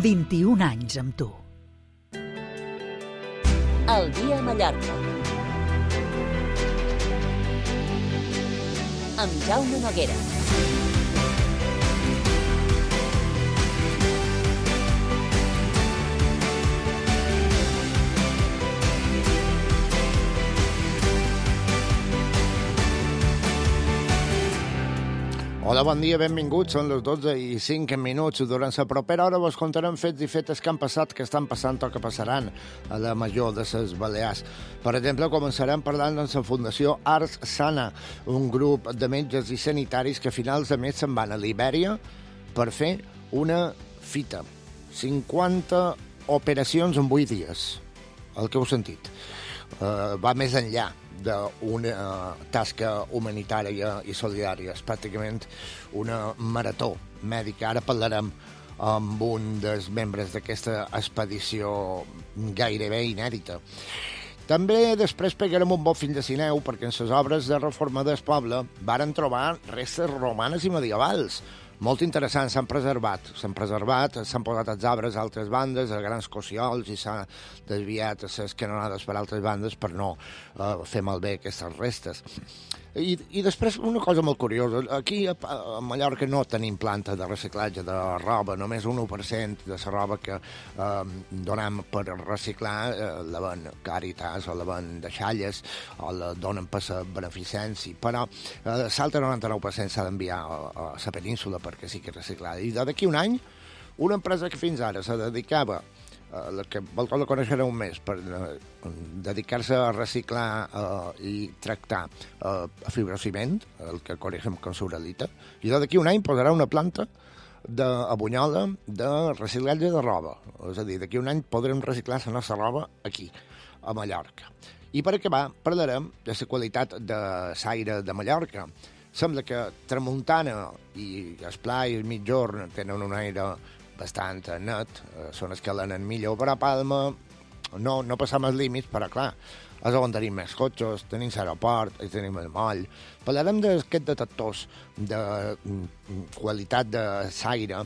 21 anys amb tu. El dia a Mallorca. Amb Jaume Noguera. Hola, bon dia, benvinguts. Són les 12:05. Durant la propera hora vos contarem fets i fetes que han passat, que estan passant o que passaran a la major de les Balears. Per exemple, començarem parlant de la Fundació Ars Sana, un grup de metges i sanitaris que a finals de mes se'n van a Libèria per fer una fita. 50 operacions en 8 dies, el que heu sentit. Va més enllà d'una tasca humanitària i solidària. És pràcticament una marató mèdica. Ara parlarem amb un dels membres d'aquesta expedició gairebé inèdita. També després pegarem un bon fins de cineu perquè en les obres de reforma del poble varen trobar restes romanes i medievals. Molt interessants, s'han preservat, s'han posat els arbres a altres bandes, a grans cossiols, i s'ha desviat a les canonades per altres bandes per no fer malbé aquestes restes. I després, una cosa molt curiosa, aquí a Mallorca no tenim planta de reciclatge de roba, només un 1% de la roba que donem per reciclar la ven Càritas o la ven de Xalles o la donen per la beneficència, però l'altre 99% s'ha d'enviar a la península perquè sigui reciclada. I d'aquí un any, una empresa que fins ara se dedicava, la que vosaltres la coneixereu més, per dedicar-se a reciclar i tractar fibrociment, el que coneixem com suralita, i d'aquí un any posarà una planta a Bunyola de reciclatge de roba. És a dir, d'aquí un any podrem reciclar la nostra roba aquí, a Mallorca. I per acabar, parlarem de la qualitat de l'aire de Mallorca. Sembla que tramuntana i esplà i mitjorn tenen un aire bastant net, són els que l'han millor, però a Palma no passam els límits, però clar, és on tenim més cotxes, tenim l'aeroport, i tenim el moll. Parlarem d'aquests detectors de qualitat de l'aire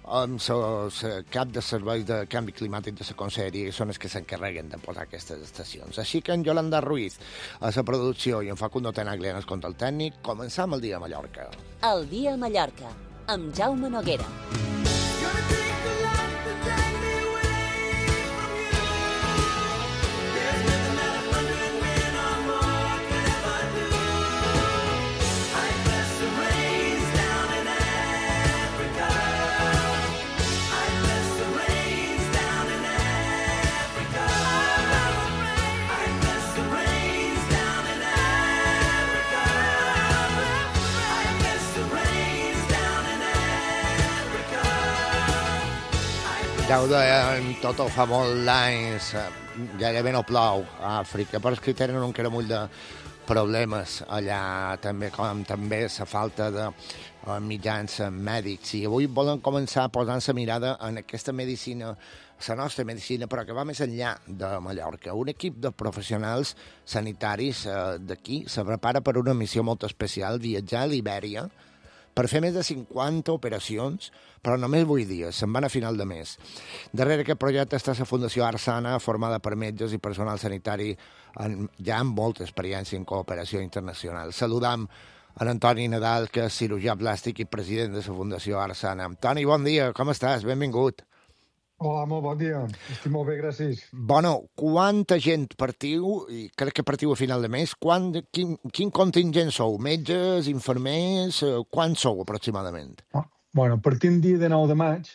amb el cap de servei de canvi climàtic de la Conselleria, que són els que s'encarreguen de posar aquestes estacions. Així que en Yolanda Ruiz a la producció i en Facundo Tenaglia en el control tècnic, començam el dia a Mallorca. El dia a Mallorca, amb Jaume Noguera. Ja ho deien, tot ho fa molt d'anys, gairebé no plou a Àfrica, però és que tenen un caramull de problemes allà, també, com també la falta de mitjans mèdics. I avui volen començar posant la mirada en aquesta medicina, la nostra medicina, però que va més enllà de Mallorca. Un equip de professionals sanitaris d'aquí se prepara per una missió molt especial, viatjar a Libèria, per fer més de 50 operacions, però només 8 dies, se'n van a final de mes. Darrere aquest projecte està la Fundació Ars Sana, formada per metges i personal sanitari ja amb molta experiència en cooperació internacional. Saludam en Antoni Nadal, que és cirurgià plàstic i president de la Fundació Ars Sana. Toni, bon dia, com estàs? Benvingut. Hola, molt bon dia. Estic molt bé, gràcies. Bueno, quanta gent partiu, i crec que partiu a final de mes, quin contingent sou? Metges, infermers, quants sou aproximadament? Bueno, partim dia de 9 de maig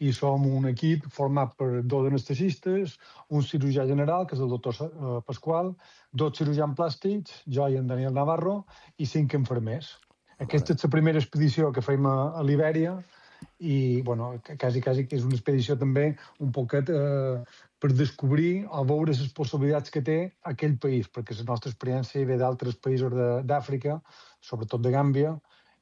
i som un equip format per 2 anestesistes, un cirurgià general, que és el doctor Pasqual, 2 cirurgians plàstics, jo i en Daniel Navarro, i 5 infermers. Aquesta és la primera expedició que fem a Libèria, i bueno, quasi que és una expedició també un poquet per descobrir o veure les possibilitats que té aquell país, perquè la nostra experiència ve d'altres països d'Àfrica, sobretot de Gàmbia,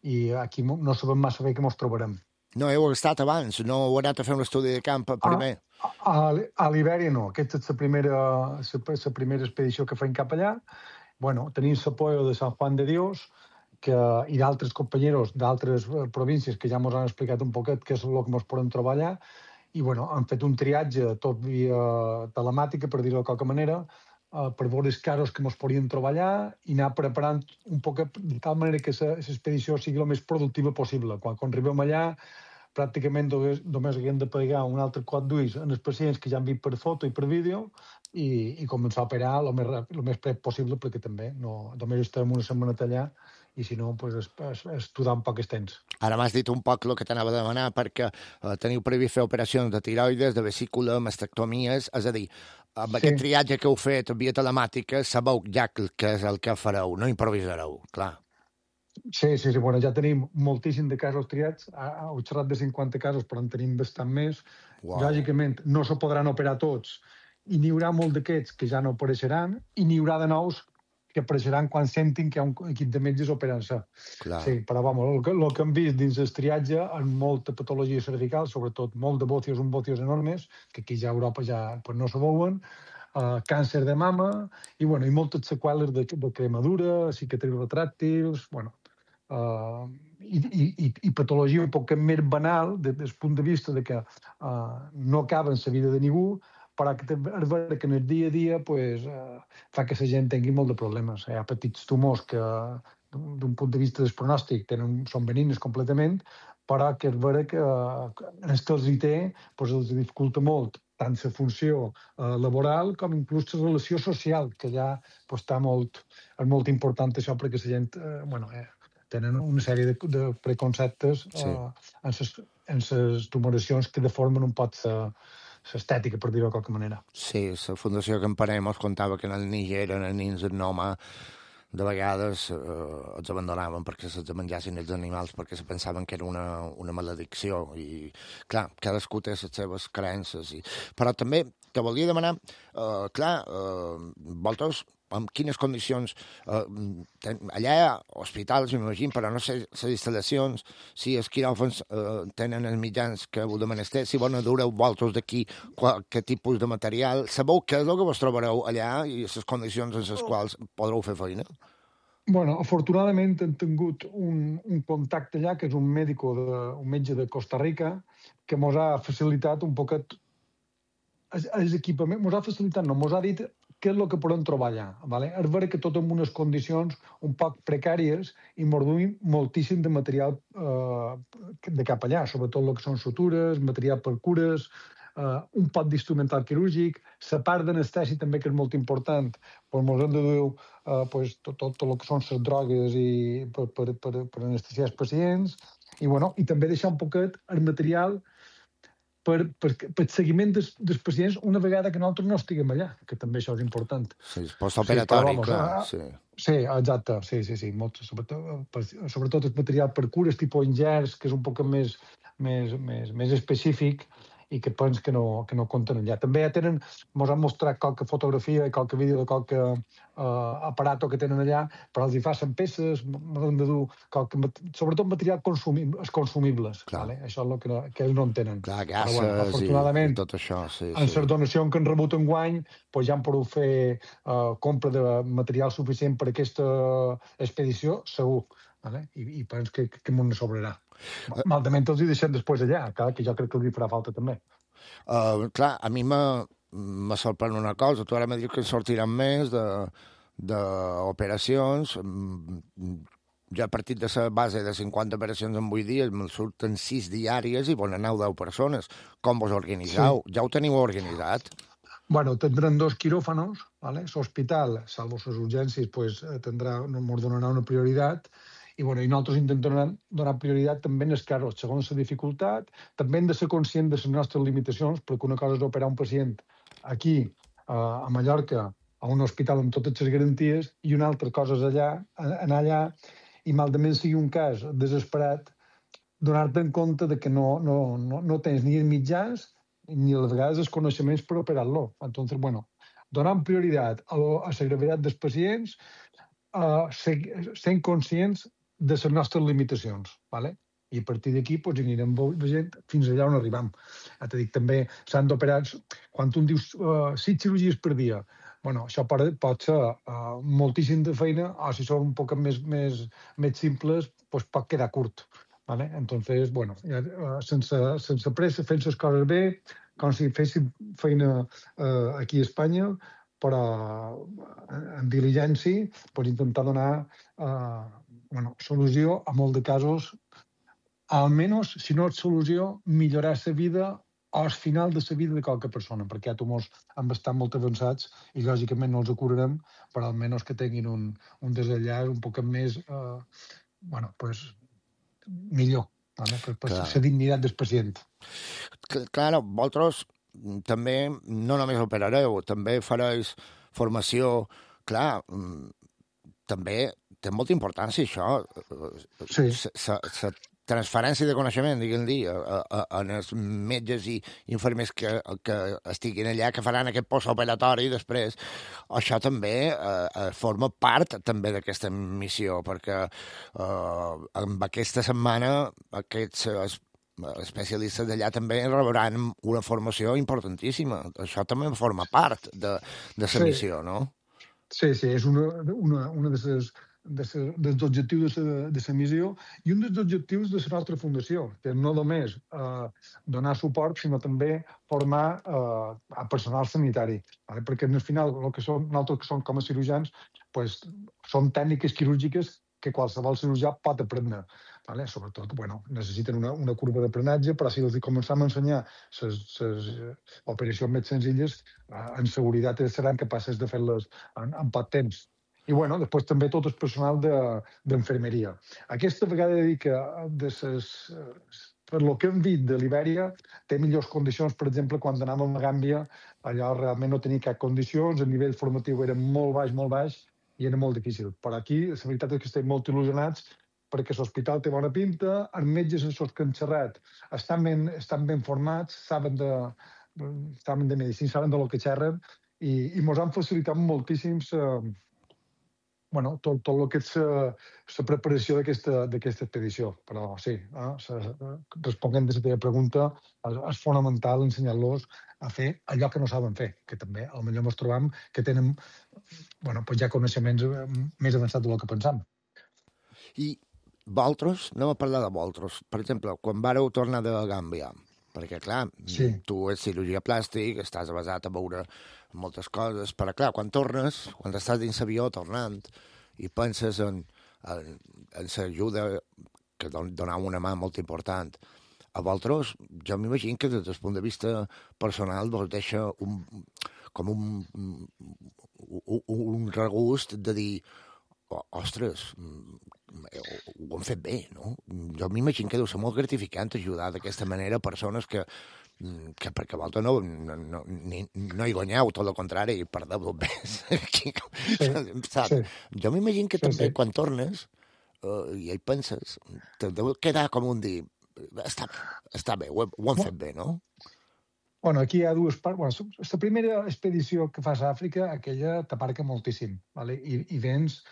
i aquí no sabem massa bé què ens trobarem. No heu estat abans? No heu anat a fer un estudi de camp primer? A Libèria no, aquesta és la primera expedició que fem cap allà. Bueno, tenim l'apoyo de San Juan de Dios, i d'altres companyeros d'altres províncies que ja ens han explicat un poquet què és el que ens podem trobar allà, i bueno, han fet un triatge tot via telemàtica, per dir-ho de qualque manera, per veure els casos que ens podien trobar allà i anar preparant un poc de tal manera que l'expedició sigui el més productiva possible. Quan arribem allà, pràcticament només haguem de pegar un altre cop d'ulls en els pacients que ja han vist per foto i per vídeo i començar a operar el més prep possible, perquè també només estem una setmana allà i si no, és estudar un poc el temps. Ara m'has dit un poc el que t'anava a demanar, perquè teniu previst fer operacions de tiroides, de vesícula, mastectomies, és a dir, amb aquest triatge que heu fet via telemàtica, sabeu ja què és el que fareu, no improvisareu, clar. Sí, bueno, ja tenim moltíssim de casos triats, heu xerrat de 50 casos, però en tenim bastant més. Wow. Lògicament, no se podran operar tots, i n'hi haurà molt d'aquests que ja no apareixeran, i n'hi haurà de nous que apareixeran quan sentin que hi ha un equip de metges operant-se. Sí, però el que hem vist dins el triatge en molta patologia cervical, sobretot molt de bòtios, bòtios enormes, que aquí ja a Europa ja no se veuen, càncer de mama i moltes seqüeles de cremadura, cicatrius retràctils, i patologia un poc més banal des del punt de vista de que no acaba en la vida de ningú, però que és vera que en el dia a dia fa que la gent tingui molt de problemes. Hi ha petits tumors que, d'un punt de vista del pronòstic, són benignes completament, però que és vera que en els que els hi té els dificulta molt tant la funció laboral com inclús la relació social, que ja és molt important això perquè la gent tenen una sèrie de preconceptes en les tumoracions que deformen un poc l'estètica, per dir-ho de qualque manera. Sí, la Fundació Camparem ens contava que en el Níger, en els nins en Noma, de vegades els abandonaven perquè se'ls menjassin els animals, perquè se pensaven que era una maledicció. I, clar, cadascú té les seves creences. Però també te volia demanar, vosaltres, en quines condicions, allà hi ha hospitals, m'imagino, però no sé les instal·lacions, si els quiròfans tenen els mitjans que heu de menester, si bona dureu vosaltres d'aquí, quin tipus de material, sabeu què és el que vos trobareu allà i les condicions en les quals podreu fer feina? Bueno, afortunadament hem tingut un contacte allà, que és un metge de Costa Rica, que ens ha facilitat un poquet els equipaments, ens ha facilitat, no, ens ha dit què és el que podem trobar allà. És vera que tot en unes condicions un poc precàries i ens duim moltíssim de material de cap allà, sobretot el que són sutures, material per cures, un pot d'instrumental quirúrgic, la part d'anestèsia també, que és molt important, ens hem de dur tot el que són les drogues per anestesiar els pacients, i també deixar un poquet el material per seguiment dels pacients una vegada que nosaltres no estiguem allà, que també això és important. Sí, postoperatori, clar. Sí, exacte, sí. Sobretot el material per cures, tipus ingerts, que és un poc més específic i que pens que no compten allà. També ja ens han mostrat qualque fotografia i qualque vídeo de qualque aparato que tenen allà, però els hi facin peces, hem de dur sobretot material consumibles. Això és el que ells no en tenen. Clar, gases i tot això. En les donacions que han rebut enguany ja han pogut fer compra de material suficient per aquesta expedició, segur. I penso que m'ho sobrarà. Malament els hi deixem després allà, que jo crec que els hi farà falta també. Clar, a mi me sorprèn una cosa. Tu ara m'ha dit que en sortiran més d'operacions. Ja a partir de la base de 50 operacions en 8 dies me'n surten 6 diàries i poden anar 10 persones. Com vos organitzeu? Ja ho teniu organitzat? Bueno, tindran 2 quiròfanos, l'hospital, salvo les urgències, ens donarà una prioritat, i nosaltres intentem donar prioritat també en els casos, segons la dificultat. També hem de ser conscients de les nostres limitacions, perquè una cosa és operar un pacient aquí, a Mallorca, a un hospital amb totes les garanties, i una altra cosa és anar allà, i malament sigui un cas desesperat, donar-te en compte que no tens ni els mitjans ni a vegades els coneixements per operar-lo. Entonces, donant prioritat a la gravetat dels pacients, sent conscients de les nostres limitacions, i a partir d'aquí anirem veient fins allà on arribam. T'he dit, també s'han d'operar, quan tu dius 6 cirurgies per dia, això pot ser moltíssim de feina, o si són un poc més simples, pot quedar curt. ¿vale? Entonces, bueno, sense pressa, fent les coses bé, com si féssim feina aquí a Espanya, però en diligència, pues, intentar donar solució a molt de casos, almenys, si no és solució, millorar la vida al final de la vida de qualque persona, perquè hi ha tumors han estat molt avançats i, lògicament, no els curarem, però almenys que tinguin un desenllaç un poc més, millor, ¿vale? Per la dignitat del pacient. Clar, vosaltres també no només operareu, també fareis formació. Clar, també té molta importància això. Sí. La transferència de coneixement, diguem-li, en els metges i infermers que estiguin allà, que faran aquest postoperatori després. Això també forma part també d'aquesta missió, perquè amb aquesta setmana aquests especialistes d'allà també rebran una formació importantíssima. Això també forma part de la missió, no? Sí, és una dels objectius de la missió i un dels objectius de la nostra fundació, que no només donar suport, sinó també formar a personal sanitari. ¿Vale? Perquè al final, nosaltres que som com a cirurgians, pues, som tècniques quirúrgiques que qualsevol cirurgià pot aprendre. ¿Vale? Sobretot, necessiten una curva d'aprenentatge, però si els començam a ensenyar les operacions més senzilles, en seguretat seran capaces de fer-les en poc temps. I, després també tot el personal d'infermeria. Aquesta vegada dic que per lo que hem vist de l'Ibèria, té millors condicions. Per exemple, quan anàvem a Gàmbia, allò realment no tenia cap condicions, el nivell formatiu era molt baix, i era molt difícil. Però aquí, la veritat és que estem molt il·lusionats perquè l'hospital té bona pinta, els metges amb els que han xerrat estan ben formats, saben de medicina, saben de lo que xerren, i ens han facilitat moltíssim tot el que és la preparació d'aquesta expedició. Però sí, responent a la teva pregunta, és fonamental ensenyar-los a fer allò que no saben fer, que també potser ens trobam que tenen ja coneixements més avançats del que pensam. I vosaltres, anem a parlar de vosaltres. Per exemple, quan vareu tornar de Gàmbia, perquè, clar, tu ets cirurgia plàstic, estàs basat a veure moltes coses, però, clar, quan tornes, quan estàs dins l'avió tornant i penses en l'ajuda que donava una mà molt important, a vosaltres, jo m'imagino que des del punt de vista personal vos deixa un regust de dir ostres, ho han fet bé, no? Jo m'imagino que deu ser molt gratificant ajudar d'aquesta manera persones que perquè vosaltres no hi guanyeu, tot el contrari, i perdeu més. Jo m'imagino que també quan tornes i hi penses, te deu quedar com un dir, està bé, ho han fet bé, no? Aquí hi ha dues parts. La primera expedició que fas a Àfrica, aquella t'aparca moltíssim, i vens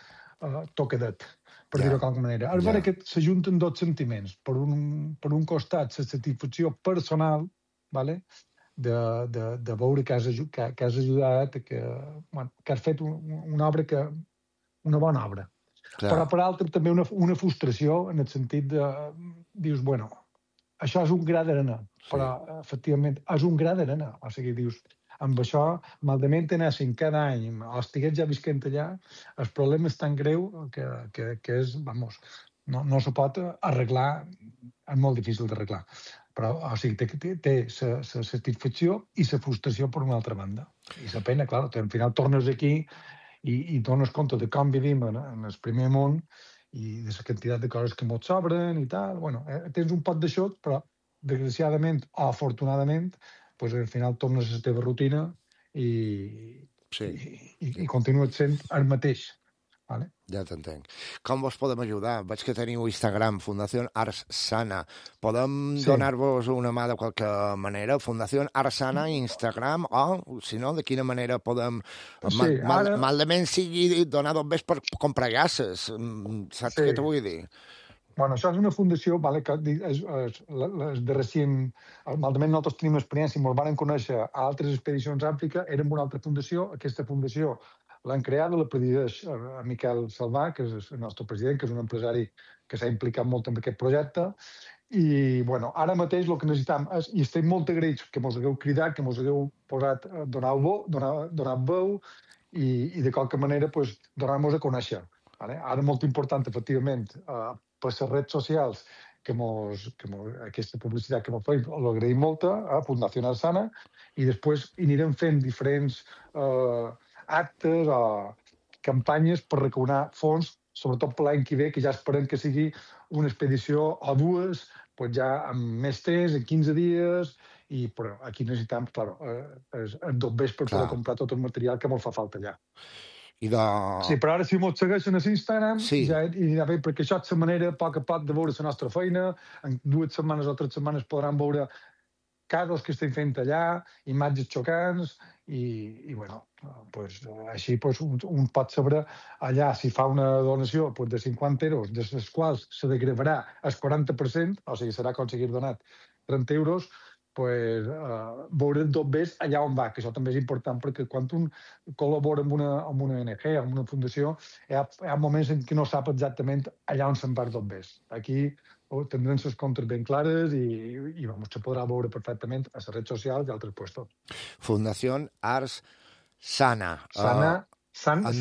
tocadet, per dir-ho d'alguna manera. És vera que s'ajunten dos sentiments. Per un costat, la satisfacció personal, de veure que has ajudat, que has fet una obra, una bona obra. Però per l'altre també una frustració en el sentit de, dius, això és un gra d'arena, però efectivament és un gra d'arena. O sigui, dius, amb això, malament anéssim cada any, o estigués ja visquent allà, el problema és tan greu que és, no se pot arreglar, és molt difícil d'arreglar. Però, o sigui, té la satisfacció i la frustració per una altra banda. I la pena, clar, al final tornes aquí i dones compte de com vivim en el primer món i de la quantitat de coses que ens sobren i tal. Tens un pot d'això, però, desgraciadament o afortunadament, al final tornes a la teva rutina i continues sent el mateix. Ja t'entenc. Com vos podem ajudar? Veig que teniu Instagram, Fundació Ars Sana. Podem donar-vos una mà de qualque manera? Fundació Ars Sana, Instagram, o, si no, de quina manera podem... Malament sigui donar-vos bé per comprar gasses. Saps què t'ho vull dir? Això és una fundació que de recent, malament nosaltres tenim experiència i ens van conèixer a altres expedicions a Àfrica, érem una altra fundació, aquesta fundació l'han creada, la presideix Miquel Salvà, que és el nostre president, que és un empresari que s'ha implicat molt en aquest projecte. I, bueno, ara mateix el que necessitam és, i estem molt agraïts que mos hagueu cridat, que mos hagueu posat, donat veu i de qualque manera pues, donar-nos a conèixer. Vale? Ara molt important, efectivament, per les redes socials, que aquesta publicitat que mos feim, l'agraïm molt, a Fundació Arsana, i després anirem fent diferents actes o campanyes per recaunar fons, sobretot per l'any que ve, que ja esperem que sigui una expedició o dues, pues ja amb més temps, en 15 dies, però aquí necessitem, clar, els dobbers per poder comprar tot el material que ens fa falta allà. Sí, però ara si mos segueixen a l'Instagram, ja anirà bé, perquè això és la manera, a poc de veure la nostra feina. En 2 setmanes o 3 setmanes podran veure casos que estem fent allà, imatges xocants, i bueno, així un pot saber allà si fa una donació de 50 euros, de les quals se degravarà el 40%, o sigui, serà aconseguir donat 30 euros, veure tot bé allà on va, que això també és important, perquè quan un col·labora amb una ONG, amb una fundació, hi ha moments en què no sap exactament allà on se'n va tot bé. Aquí tindrem les comptes ben clares i se podrà veure perfectament a les redes socials i altres puestos. Fundació Ars Sana. Sana en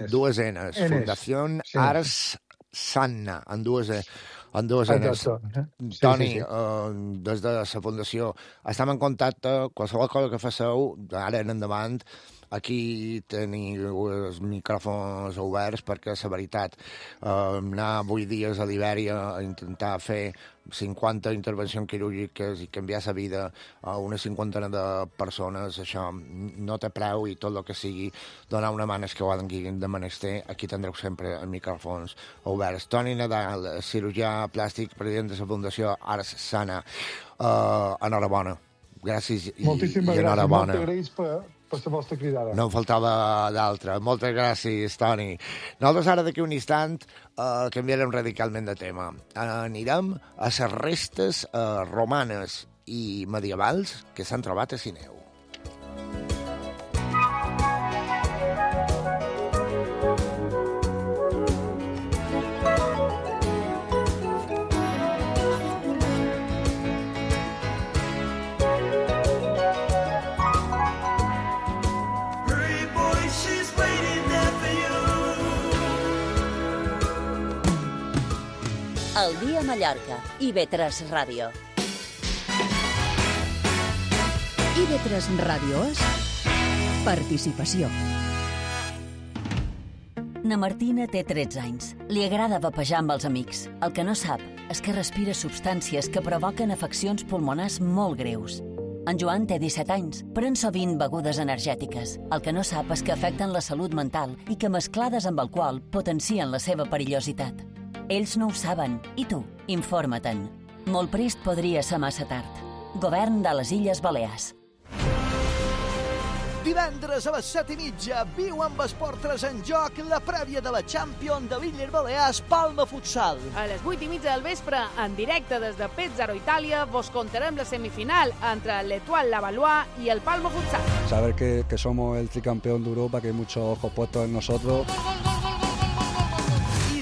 dues N's. Fundació Ars Sana, en dues N's. Toni, des de la Fundació, estem en contacte, qualsevol cosa que faceu, ara en endavant, aquí teniu els micròfons oberts perquè, la veritat, anar 8 dies a Libèria a intentar fer 50 intervencions quirúrgiques i canviar la vida a una 50 de persones, això no té preu, i tot el que sigui donar una mà als que ho hagin de menester, aquí tindreu sempre els micròfons oberts. Toni Nadal, cirurgià plàstic, president de la Fundació Ars Sana, enhorabona. Gràcies i enhorabona. Moltes gràcies per la vostra cridada. No em faltava d'altra. Moltes gràcies, Toni. Nosaltres ara d'aquí un instant canviarem radicalment de tema. Anirem a les restes romanes i medievals que s'han trobat a Sineu. El dia a Mallorca, IB3 Ràdio. IB3 Ràdio és participació. Na Martina té 13 anys. Li agrada vapejar amb els amics. El que no sap és que respira substàncies que provoquen afeccions pulmonars molt greus. En Joan té 17 anys, pren sovint begudes energètiques. El que no sap és que afecten la salut mental i que mesclades amb alcohol potencien la seva perillositat. Ells no ho saben, i tu, informa-te'n. Molt prest podria ser massa tard. Govern de les Illes Balears. Divendres a les 7:30, viu amb Esport 3 en joc la prèvia de la Champions de l'Illes Balears Palma Futsal. A les 8:30 del vespre, en directe des de Pesaro, Itàlia, vos contarem la semifinal entre l'Etoile Lavallois y el Palma Futsal. Saber que somos el tricampeón de Europa, que hay muchos ojos puestos en nosotros.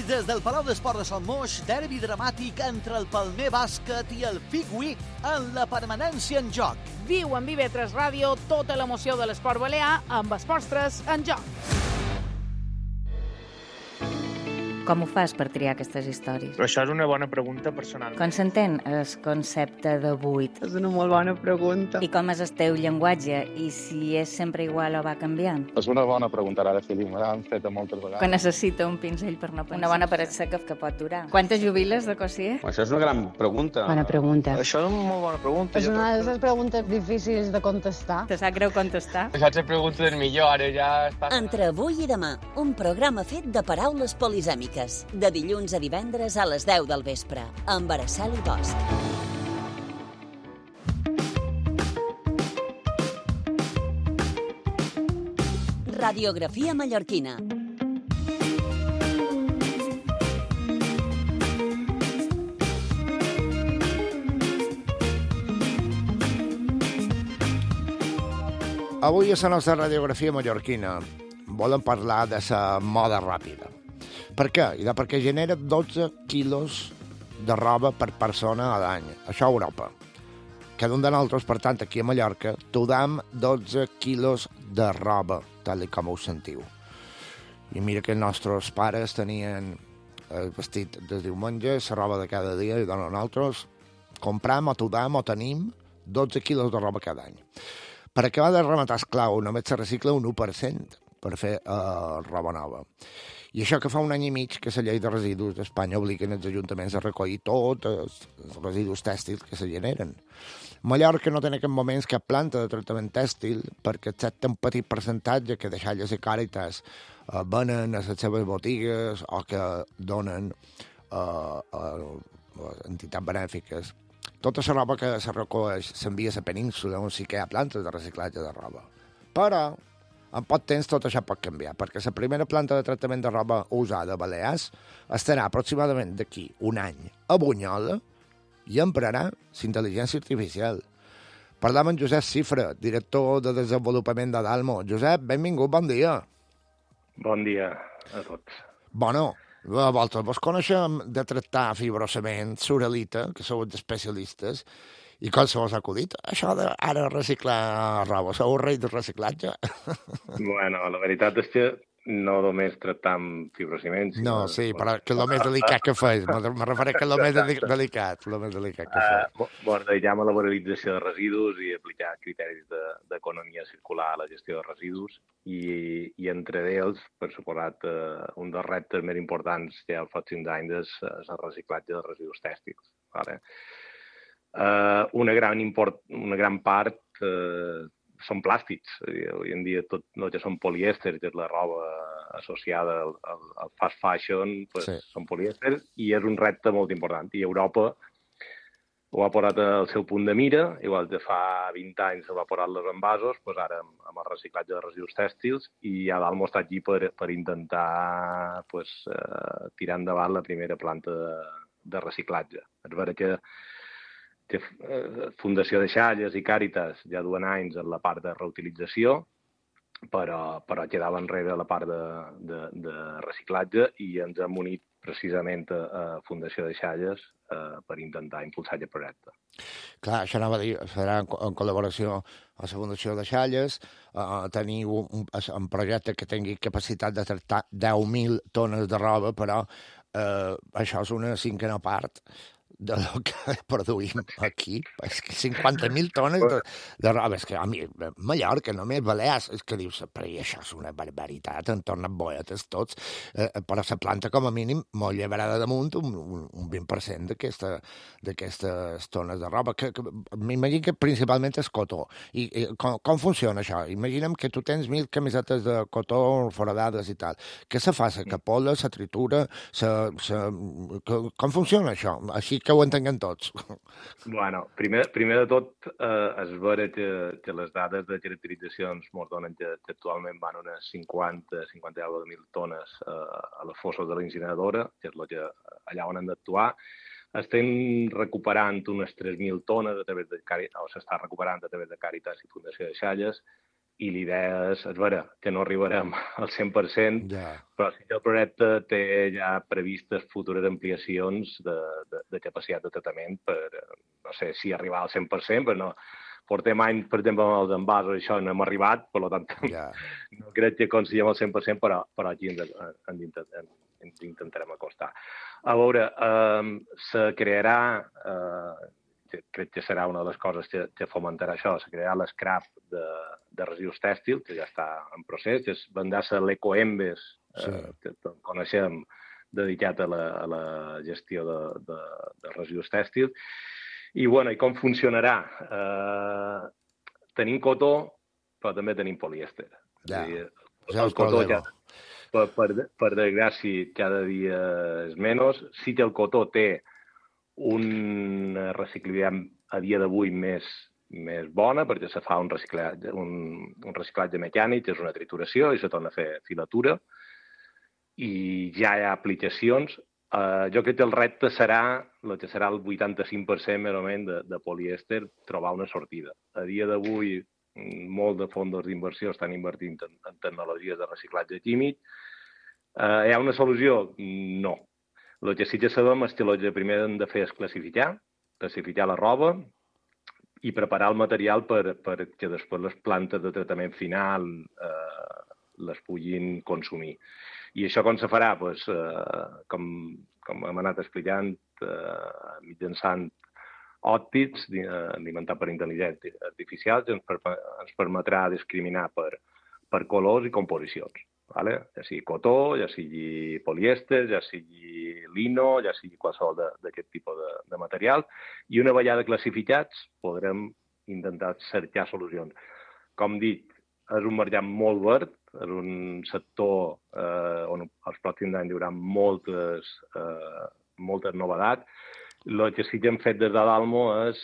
Des del Palau d'Esport de Sant Moix, derbi dramàtic entre el Palmer Bàsquet i el Figui en la permanència en joc. Viu en IB3 Ràdio tota l'emoció de l'esport balear amb Esports 3 en joc. Com ho fas per triar aquestes històries? Però això és una bona pregunta personal. Com s'entén el concepte de buit? És una molt bona pregunta. I com és el teu llenguatge? I si és sempre igual o va canviant? És una bona pregunta, ara, Fili. Me l'han fet moltes vegades. Que necessita un pinzell per no pensar. Una bona paret seca que pot durar. Quantes jubiles de cossier? Això és una gran pregunta. Bona pregunta. Això és una molt bona pregunta. És una de les preguntes difícils de contestar. Te sap greu contestar? Això és la pregunta del millor, ara ja està... Entre avui i demà, un programa fet de paraules polisèmiques. De dilluns a divendres a les 10 del vespre, amb Araceli Bosch. Radiografia mallorquina. Avui a la nostra radiografia mallorquina volem parlar de la moda ràpida. Per què? Perquè genera 12 quilos de roba per persona a l'any. Això a Europa. Cada un de nosaltres, per tant, aquí a Mallorca, tudam 12 quilos de roba, tal com ho sentiu. I mira que els nostres pares tenien el vestit de diumenge, la roba de cada dia, i nosaltres compram o tudam o tenim 12 quilos de roba cada any. Per acabar de rematar, esclar, només se recicla un 1% per fer roba nova. I això que fa un any i mig que la llei de residus d'Espanya obliguen els ajuntaments a recollir tots els residus tèxtils que se generen. Mallorca no té en aquests moments cap planta de tractament tèxtil perquè excepte un petit percentatge que deixalles i Càritas venen a les seves botigues o que donen a entitats benèfiques. Tota la roba que se recolleix s'envia a la península on sí que hi ha plantes de reciclatge de roba. Però en poc temps tot això pot canviar, perquè la primera planta de tractament de roba usada a Balears estarà aproximadament d'aquí un any a Bunyola i emprarà l'intel·ligència artificial. Parlam amb Josep Cifra, director de desenvolupament de Dalmo. Josep, benvingut, bon dia. Bon dia a tots. Bueno, vosaltres vos coneixem de tractar fibrosament surelita, que sou especialistes, i com se vos ha acudit? Això d'ara reciclar roba, sou el rei del reciclatge? Bueno, la veritat és que no només tractam fibrociment. No, sí, però que és el més delicat que fes. Me refereix que és el més delicat, que fes. Bordejam a la valorització de residus i aplicar criteris d'economia circular a la gestió de residus i entre ells, per suposat, un dels reptes més importants que hi ha als pròxims anys és el reciclatge de residus tèxtils. Vale? Una gran part són plàstics. Avui en dia tot el que són polièsters, que és la roba associada al fast fashion, pues, sí, són polièsters, i és un repte molt important. I Europa ho ha posat al seu punt de mira, igual que fa 20 anys se va posar les envasos, pues ara amb el reciclatge de residus tèxtils, i a Dalmo està aquí per intentar pues, tirar endavant la primera planta de reciclatge. És vera que Fundació de Xalles i Càritas ja duen anys en la part de reutilització, però quedava enrere la part de reciclatge i ens hem unit precisament a Fundació de Xalles per intentar impulsar aquest projecte. Clar, això anava a dir, serà en col·laboració amb la Fundació de Xalles, tenir un projecte que tingui capacitat de tractar 10.000 tones de roba, però això és una cinquena part del que produïm aquí. És que 50.000 tones de roba. És que a mi, Mallorca, només Balears, és que dius, però això és una barbaritat, en tornen boetes tots, però la planta, com a mínim, molt llevarà de damunt un 20% d'aquestes tones de roba. M'imagino que principalment és cotó. I com funciona això? Imaginem que tu tens 1.000 camisetes de cotó foradades i tal. Què se fa? Se capola, se tritura? Com funciona això? Així que ho entenguem tots. Bueno, primer de tot, és vera que les dades de caracterització ens donen que actualment van unes 50.000 tones a les fosses de la incineradora, que és allà on hem d'actuar. Estem recuperant unes 3.000 tones s'està recuperant a través de Càritas i Fundació de Xalles, i l'idea és vera que no arribarem al 100%, però sí que el projecte té ja previstes futures ampliacions de capacitat de tractament per, no sé si arribar al 100%, però no. Portem anys, per exemple, amb els envasos, això no hem arribat, per tant, no crec que aconseguim al 100%, però aquí ens intentarem acostar. A veure, se crearà, crec que serà una de les coses que fomentarà això, se crearà l'escrap de residus tèxtils, que ja està en procés, que vendrà-se l'Ecoembes, que coneixem, dedicat a la gestió de residus tèxtils. I com funcionarà? Tenim cotó, però també tenim polièster. El cotó ja, per desgràcia, cada dia és menys. Sí que el cotó té una reciclabilitat a dia d'avui més bona, perquè se fa un reciclatge mecànic, és una trituració, i se torna a fer filatura, i ja hi ha aplicacions. Jo crec que el repte serà el 85% més o menys de polièster, trobar una sortida. A dia d'avui molt de fons d'inversió estan invertint en tecnologies de reciclatge químic. Hi ha una solució? No. El que sí que sabem és que el que primer hem de fer és classificar la roba i preparar el material perquè després les plantes de tractament final les puguin consumir. I això com se farà? Com hem anat explicant, mitjançant òptics alimentats per intel·ligència artificial, ens permetrà discriminar per colors i composicions. Ja sigui cotó, ja sigui polièster, ja sigui lino, ja sigui qualsevol d'aquest tipus de material. I una vegada classificats podrem intentar cercar solucions. Com dic, és un mercat molt verd, és un sector on els pròxims anys hi haurà moltes novetats. El que sí que hem fet des de l'Almo és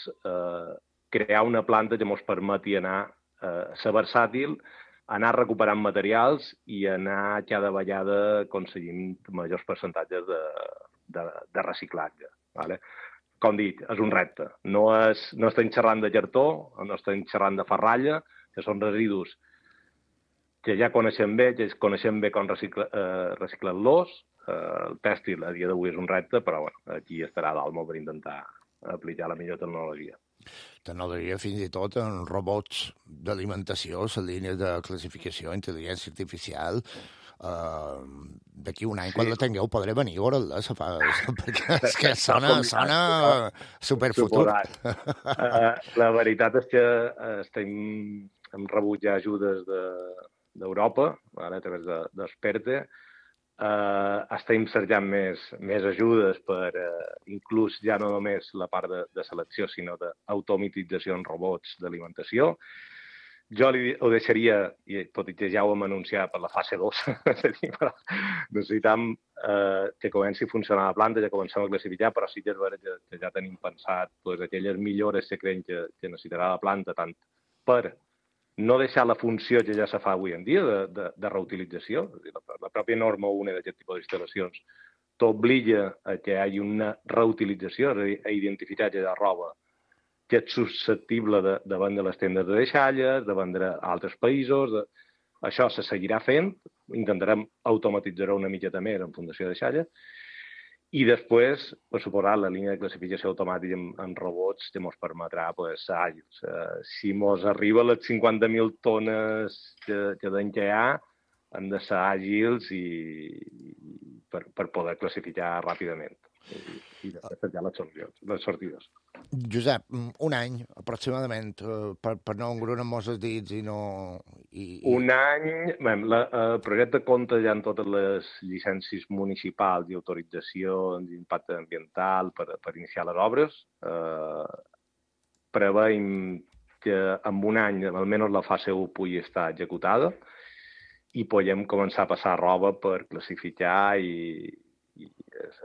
crear una planta que ens permeti ser versàtil, anar recuperant materials i anar cada vegada aconseguint majors percentatges de reciclatge. Com dic, és un repte. No estem xerrant de cartó, no estem xerrant de ferralla, que són residus que ja coneixem bé, com reciclar-los. El tèxtil a dia d'avui és un repte, però aquí estarà l'Almo per intentar aplicar la millor tecnologia. Tecnologia fins i tot en robots d'alimentació, les línies de classificació, intel·ligència artificial. D'aquí un any, quan la tingueu, podré venir a veure-la, perquè és que sona superfutur. La veritat és que hem rebut ja ajudes d'Europa, a través d'Experte. Estem cercant més ajudes per inclús ja no només la part de selecció, sinó d'automatització en robots d'alimentació. Jo ho deixaria, tot i que ja ho hem anunciat, per la fase 2. Necessitam que comenci a funcionar la planta, ja comencem a classificar, però sí que és vera que ja tenim pensat aquelles millores que creiem que necessitarà la planta, tant per no deixar la funció que ja se fa avui en dia de reutilització. La pròpia norma 1 d'aquest tipus d'instal·lacions t'obliga a que hi hagi una reutilització, és a dir, a identificar aquella roba que és susceptible de vendre les tendes de deixalles, de vendre a altres països. Això se seguirà fent, intentarem automatitzar-ho una miqueta més en fundació de deixalles, i després, per suposar, la línia de classificació automàtica en robots que ens permetrà ser àgils. Si ens arriba a les 50.000 tones que d'any que hi ha, hem de ser àgils per poder classificar ràpidament i després cercar les sortides. Josep, un any aproximadament per no engrunar-nos els dits i no... Un any... El projecte compta ja amb totes les llicències municipals i autoritzacions d'impacte ambiental per iniciar les obres. Preveiem que en un any almenys la fase 1 pugui estar executada i podem començar a passar roba per classificar i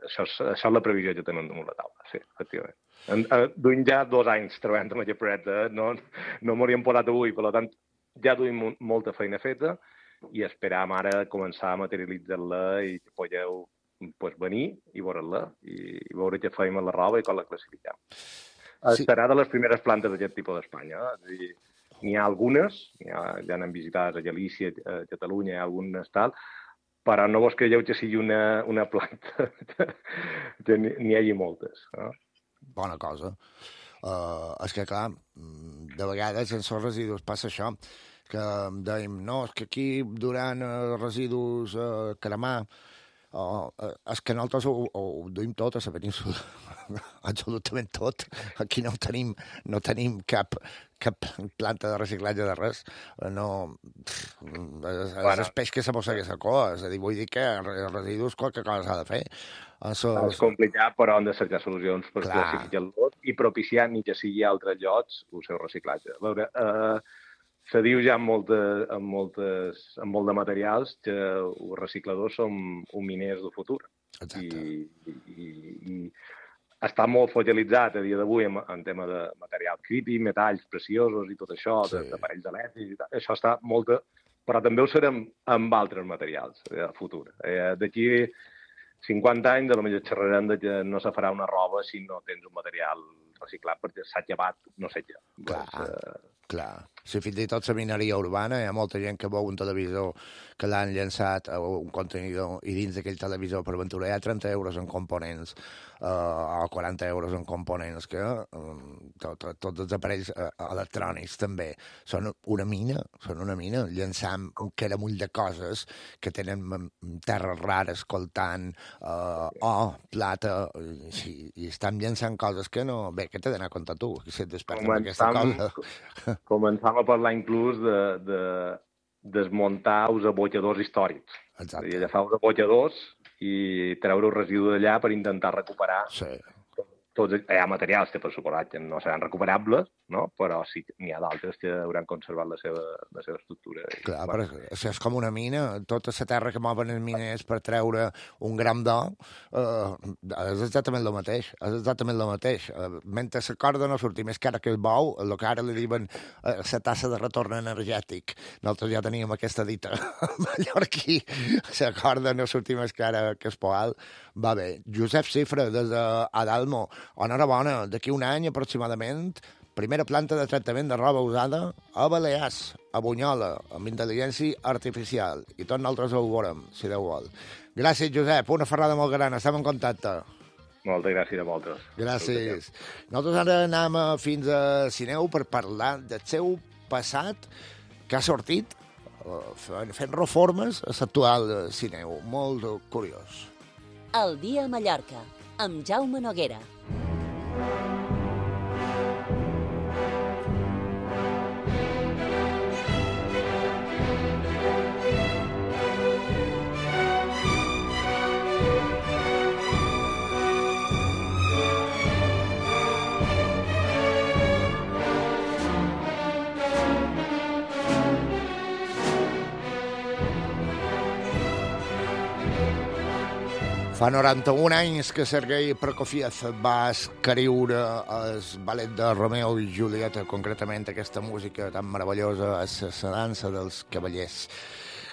això és la previsió que tenim damunt la taula, sí, efectivament. Duim ja 2 anys treballant amb aquest projecte, no m'hauríem posat avui, per tant, ja duim molta feina feta i esperam ara començar a materialitzar-la i que podeu venir i veure-la i veure què fem amb la roba i com la classifiquem. Serà de les primeres plantes d'aquest tipus d'Espanya. És a dir, n'hi ha algunes, ja n'hem visitat a Galícia, a Catalunya, hi ha algunes tal, però no vos creieu que sigui una planta que n'hi hagi moltes. Bona cosa. És que, clar, de vegades en els residus passa això, que dèiem, no, és que aquí durant residus cremar, és que nosaltres ho duim tot a la península, absolutament tot. Aquí no tenim cap planta de reciclatge de res. És el peix que se mossega la cua. És a dir, vull dir que els residus qualque cosa s'ha de fer. És complicat, però hem de cercar solucions per classificar-los i propiciar, ni que sigui a altres llocs, el seu reciclatge. A veure, se diu ja en molt de materials que els recicladors són un miners del futur. I està molt focalitzat a dia d'avui en tema de material crític, metalls preciosos i tot això, d'aparells elèctrics, això està molt... Però també ho serem amb altres materials a futur. D'aquí 50 anys, potser xerrarem que no se farà una roba si no tens un material reciclat, perquè s'ha llevat, no sé què. Clar. Si fins i tot la mineria urbana, hi ha molta gent que veu un televisor que l'han llançat a un contenidor i dins d'aquell televisor per aventura hi ha 30 euros en components o 40 euros en components que tots els aparells electrònics també són una mina, llançant un caramull de coses que tenen terres rares, coltant, plata, i estan llançant coses que no... Bé, què t'he d'anar a contar tu? Si et despertes amb aquesta cosa... Començam a parlar inclús de desmuntar els abocadors històrics. Exacte. I agafar els abocadors i treure el residu d'allà per intentar recuperar tots... Hi ha materials que, per suposat, no seran recuperables, no? Però sí que n'hi ha d'altres que hauran conservat la seva estructura. Clar, però això és com una mina. Tota la terra que mouen els miners per treure un gram d'or és exactament el mateix. Mentre la corda no surti més cara que el bou, el que ara li diuen la tassa de retorn energètic. Nosaltres ja teníem aquesta dita mallorquí. La corda no surti més cara que el poal. Va bé. Josep Cifra, des d'Adalmo. Enhorabona, d'aquí un any aproximadament, primera planta de tractament de roba usada a Balears, a Bunyola, amb intel·ligència artificial. I tots nosaltres ho veurem, si Déu vol. Gràcies, Josep. Una ferrada molt gran. Estem en contacte. Moltes gràcies a vosaltres. Gràcies. Nosaltres ara anem fins a Sineu per parlar del seu passat que ha sortit fent reformes a l'actual Sineu. Molt curiós. El dia a Mallorca, amb Jaume Noguera. Fa 91 anys que Sergei Prokofiev va escriure el ballet de Romeo i Julieta, concretament aquesta música tan meravellosa, la dansa dels cavallers.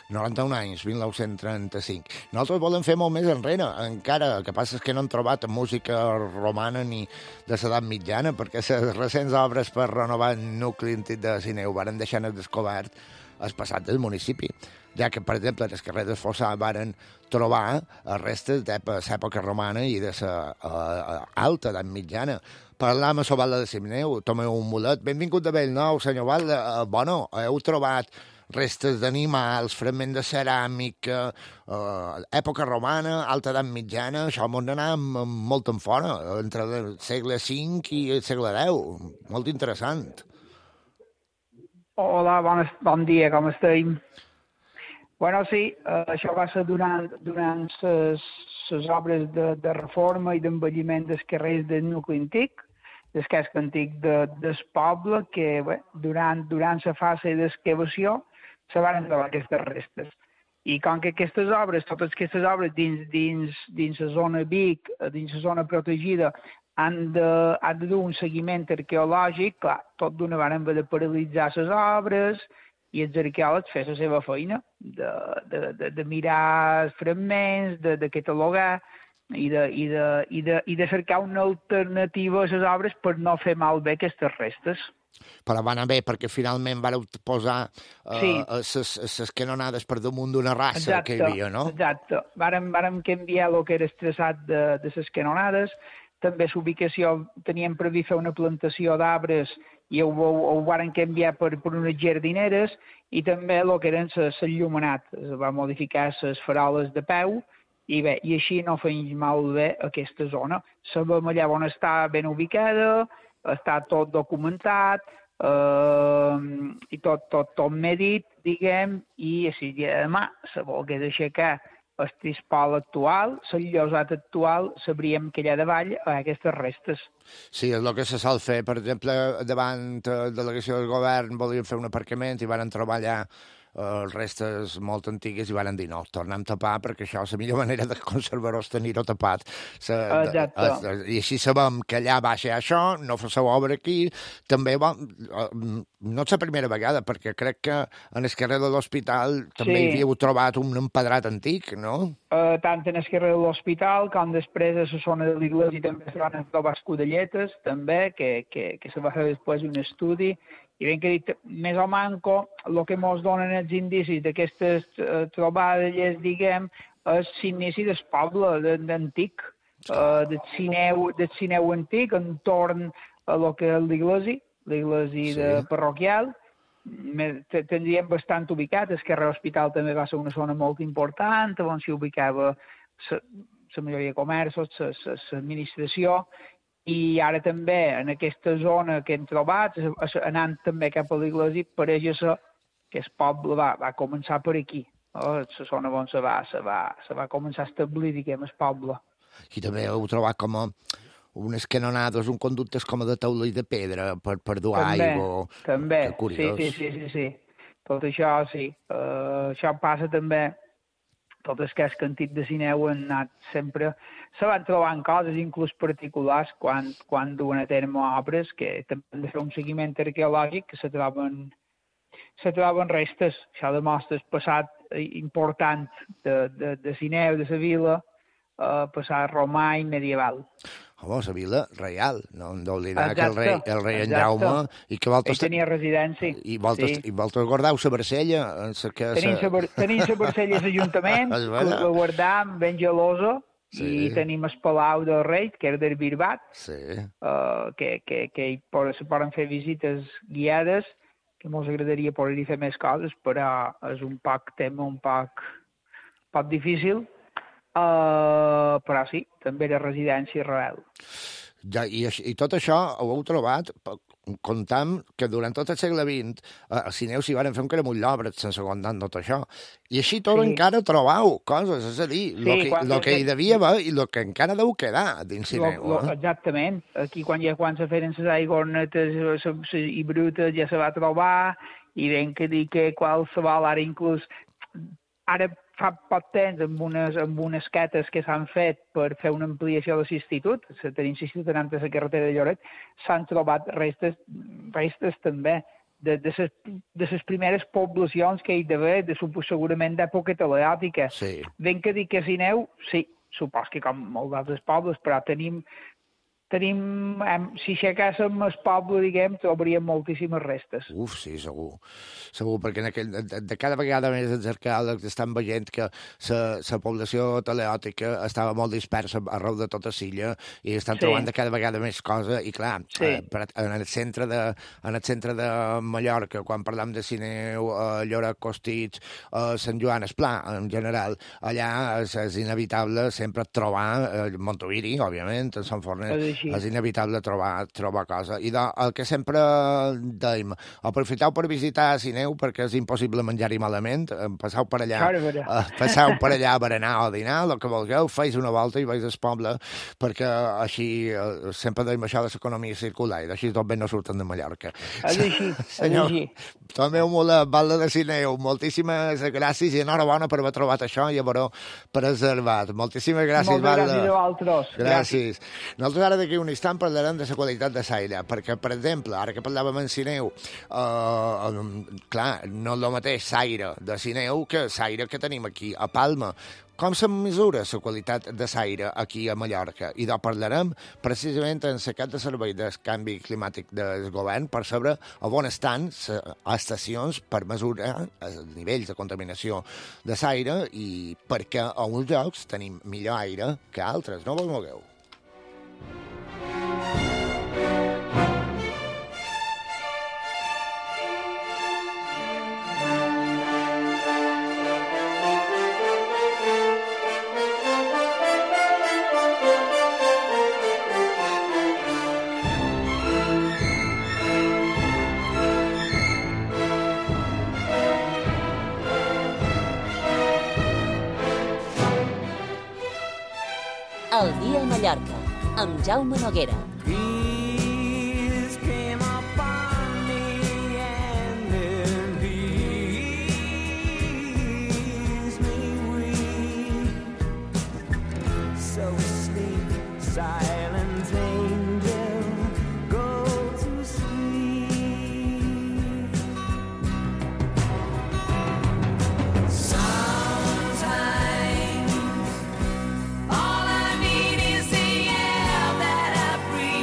91 anys, 1935. Nosaltres volem fer molt més enrere, encara. El que passa és que no hem trobat música romana ni de l'edat mitjana, perquè les recents obres per renovar el nucli antic de Sineu varen deixar al descobert el passat del municipi, ja que, per exemple, els carrers del Fossar varen trobar restes de l'època romana i de l'alta edat mitjana. Parlam a Sobalda de Sineu, Tomeu un mulet. Benvingut de Bellnou, senyor Valda. Bueno, heu trobat restes d'animals, fragments de ceràmica, època romana, alta edat mitjana, això m'ho d'anar molt en fora, entre el segle V i el segle X. Molt interessant. Hola, bon dia, com estem? Bueno, sí, això va ser durant les obres de reforma i d'embelliment dels carrers del nucli antic, del casc antic del poble, que durant la fase d'excavació se van trobar aquestes restes. I com que aquestes obres, totes aquestes obres dins la zona Vic, dins la zona protegida, han de dur un seguiment arqueològic, clar, tot d'una vegada han de paralitzar les obres i els arqueòlegs fer la seva feina, de mirar fragments, de catalogar i de cercar una alternativa a les obres per no fer malbé aquestes restes. Però va anar bé, perquè finalment vareu posar les canonades per damunt d'una raça que hi havia, no? Exacte. Vàrem canviar el que era el traçat de les canonades. També l'ubicació, teníem previst fer una plantació d'arbres i ho varen canviar per unes jardineres, i també el que eren l'enllumenat. Es va modificar les faroles de peu, i bé, i així no feim malbé aquesta zona. Sabem allà on està ben ubicada, està tot documentat, i tot medit, diguem, i si demà se volgués aixecar el tispol actual, l'enllosat actual, sabríem que allà davall hi ha aquestes restes. Sí, és el que se sol fer. Per exemple, davant de la delegació del govern volien fer un aparcament i van trobar allà restes molt antigues i van dir no, tornem a tapar perquè això és la millor manera de conservar-ho és tenir-ho tapat. I així sabem que allà va ser això, no fa la obra aquí. També, no és la primera vegada, perquè crec que en el carrer de l'Hospital també hi havíeu trobat un empedrat antic, no? Tant en el carrer de l'Hospital com després a la zona de l'Iglésia també se van trobar escudelletes, també, que se va fer després un estudi, I ben que dit, més o manco, el que ens donen els indicis d'aquestes trobades, diguem, és l'inici del poble antic, del Sineu antic, entorn a lo que és l'església parroquial. Tindríem bastant ubicat, el carrer Hospital també va ser una zona molt important, on s'hi ubicava la majoria de comerços, l'administració, i ara també en aquesta zona que hem trobat, anant també cap a l'església, pareix que el poble va començar per aquí. La zona on se va començar a establir, diguem, el poble. I també heu trobat com unes canonades, un conductes com de taula i de pedra per dur aigua. També, sí. Tot això, sí. Això passa també. Tot el que és cantit de Sineu han anat sempre... Se van trobant coses, inclús particulars, quan duen a terme obres, que també han de fer un seguiment arqueològic, que se troben restes. Això demostra el passat important de Sineu, de la vila, passat romà i medieval. Home, la vila reial, no hem d'oblidar que el rei en Jaume... I que ell tenia residència. I vosaltres guardeu la Barcella? Tenim la Barcella a l'Ajuntament, que la guardam ben gelosa, i tenim el Palau del Rei, que era del Birbat, que se poden fer visites guiades, que ens agradaria poder-hi fer més coses, però és un tema un poc difícil. Però sí, també era residència rebel. I tot això ho heu trobat, comptam que durant tot el segle XX a Sineu s'hi van fer un caramull d'obres sense comptar tot això. I així tot encara trobau coses, és a dir, el que hi devia haver i el que encara deu quedar dins Sineu. Exactament. Aquí quan se feren les aigornetes i brutes ja se va trobar, i ben que dir que qualsevol, ara inclús... Ara fa poc temps, amb unes cates que s'han fet per fer una ampliació de l'institut, tenim l'institut anant a la carretera de Lloret, s'han trobat restes també de les primeres poblacions que hi d'haver, segurament d'època teleòtica. Ben que dir que Sineu, sí, supos que com molts d'altres pobles, però tenim, si aixecàssim el poble, diguem, trobaríem moltíssimes restes. Sí, segur, perquè de cada vegada més els arqueòlegs estan veient que la població teleòtica estava molt dispersa arreu de tota l'illa i estan trobant de cada vegada més coses, i clar, en el centre de Mallorca, quan parlam de Sineu, Lloret, Costitx, Sant Joan, Esplà, en general, allà és inevitable sempre trobar Montoviri, òbviament, en Sant Fornet, és inevitable trobar coses. I el que sempre dèiem, aprofiteu per visitar Sineu perquè és impossible menjar-hi malament, passeu per allà a berenar o dinar, el que vulgueu, feis una volta i veus el poble, perquè així sempre dèiem això de l'economia circular, i així tot bé no surten de Mallorca. És així. Senyor, tomeu molt la Valda de Sineu, moltíssimes gràcies i enhorabona per haver trobat això i haver-ho preservat. Moltíssimes gràcies, Valda. Moltes gràcies a vosaltres. Gràcies. Nosaltres ara d'aquí un instant parlarem de la qualitat de l'aire, perquè, per exemple, ara que parlàvem en Sineu, clar, no és el mateix l'aire de Sineu que l'aire que tenim aquí a Palma. Com se mesura la qualitat de l'aire aquí a Mallorca? I de parlarem precisament en la cap de servei del canvi climàtic del govern per saber on estan les estacions per mesurar els nivells de contaminació de l'aire i perquè a uns llocs tenim millor aire que altres. No vos mogueu. El dia a Mallorca, amb Jaume Noguera. All I need is the air that I breathe.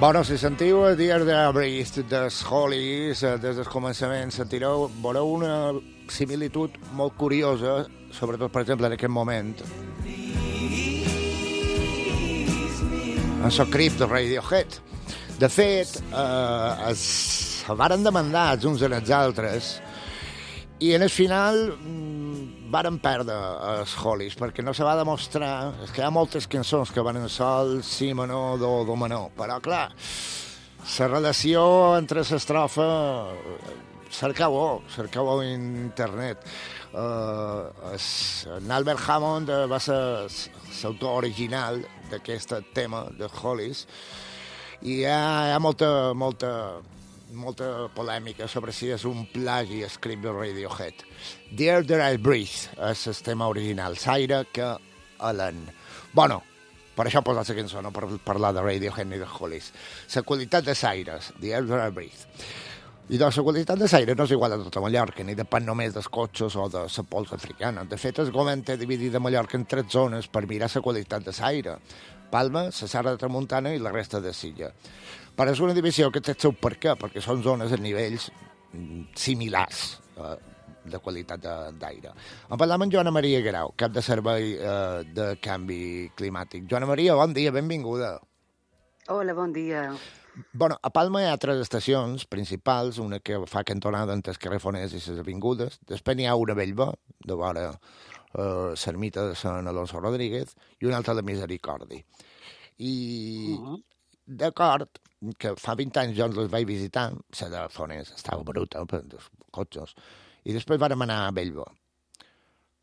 Bueno, si sentiu a Dear Breeze dels Hollies, des del començament sentireu, veureu una similitud molt curiosa, sobretot, per exemple, en aquest moment. En el crit de Radiohead. De fet, se varen demandar els uns en els altres i en el final varen perdre els Hollies, perquè no se va demostrar... És que hi ha moltes cançons que van en sol, si menor, do menor, però clar, la relació entre l'estrofa... Cercau-ho a internet. Albert Hammond va ser l'autor original d'aquest tema de Hollies i hi ha molta polèmica sobre si és un plagi escrit de Radiohead. Dear I Breathe és el tema original, l'aire que alen. Bueno, per això he posat la cançó, no per parlar de Radiohead ni de Hollies. La qualitat de l'aire, Dear I Breathe. I doncs la qualitat de l'aire no és igual a tota Mallorca, ni depèn només dels cotxes o de la pols africana. De fet, el govern té dividida Mallorca en 3 zones per mirar la qualitat de l'aire. Palma, la Serra de Tramuntana i la resta de l'illa. Però és una divisió que té el seu perquè són zones a nivells similars de qualitat d'aire. En parlam amb Joana Maria Guerau, cap de servei de canvi climàtic. Joana Maria, bon dia, benvinguda. Hola, bon dia. Bueno, a Palma hi ha 3 estacions principals, una que fa cantonada entre el carrer Fonés i les avingudes, després n'hi ha una a Bellver, de vora l'ermita de Sant Alonso Rodríguez, i una altra de Misericordi. I d'acord, que fa 20 anys jo les vaig visitar, la de Fonés estava bruta, per els cotxes, i després vàrem anar a Bellver.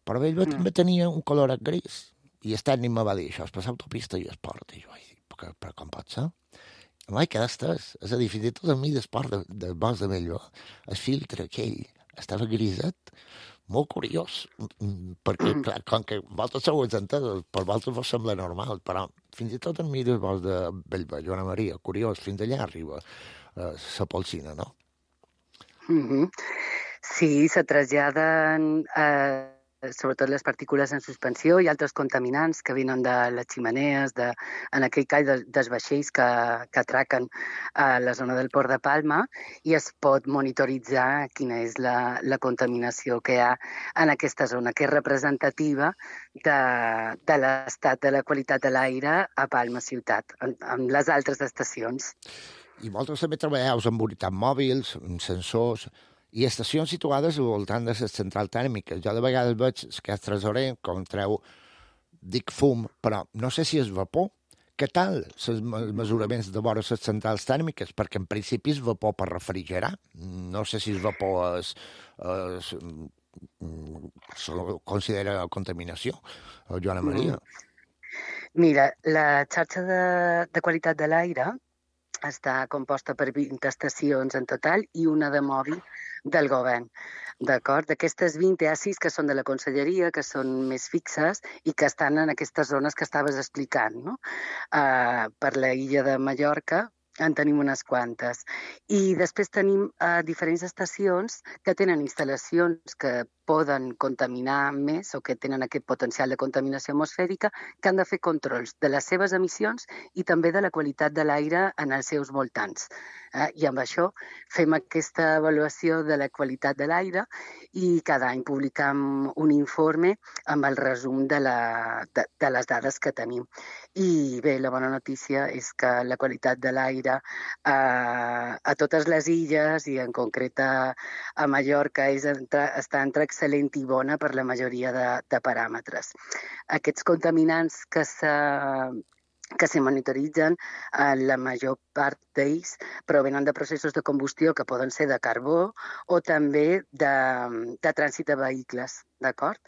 Però Bellver també tenia un colorat gris, i el tècnic me va dir, això és per l'autopista i esport, i jo vaig dir, però com pot ser? Mai que estàs, és a dir, fins i tot a mi d'esport del bosc de Bellver, el filtre aquell estava griset, molt curiós, perquè, clar, com que vosaltres sou entesos, per vosaltres vos sembla normal, però fins i tot en mi del bosc de Bellver, Joana Maria, curiós, fins allà arriba la polsina, no? Sí, se traslladen sobretot les partícules en suspensió i altres contaminants que venen de les ximenees, en aquell cas dels vaixells que atraquen a la zona del Port de Palma, i es pot monitoritzar quina és la contaminació que hi ha en aquesta zona, que és representativa de l'estat de la qualitat de l'aire a Palma ciutat, amb les altres estacions. I vosaltres també treballeu amb unitats mòbils, amb sensors, i estacions situades al voltant de les centrals tèrmiques. Jo de vegades veig que és tresorer, com treu, dic fum, però no sé si és vapor. Què tal els mesuraments de vora les centrals tèrmiques? Perquè en principi és vapor per refrigerar. No sé si és vapor se considera contaminació. Joana Maria. Mira, la xarxa de qualitat de l'aire està composta per 20 estacions en total i una de mòbil del govern. D'acord? D'aquestes 20 hi ha 6 que són de la conselleria, que són més fixes i que estan en aquestes zones que estaves explicant, no? Per la illa de Mallorca en tenim unes quantes. I després tenim diferents estacions que tenen instal·lacions que poden contaminar més o que tenen aquest potencial de contaminació atmosfèrica, que han de fer controls de les seves emissions i també de la qualitat de l'aire en els seus voltants. I amb això fem aquesta avaluació de la qualitat de l'aire i cada any publicam un informe amb el resum de les dades que tenim. I bé, la bona notícia és que la qualitat de l'aire a totes les illes i en concret a Mallorca està entre excel·lent i bona per la majoria de paràmetres. Aquests contaminants que se monitoritzen, la major part d'ells provenen de processos de combustió que poden ser de carbó o també de trànsit de vehicles, d'acord?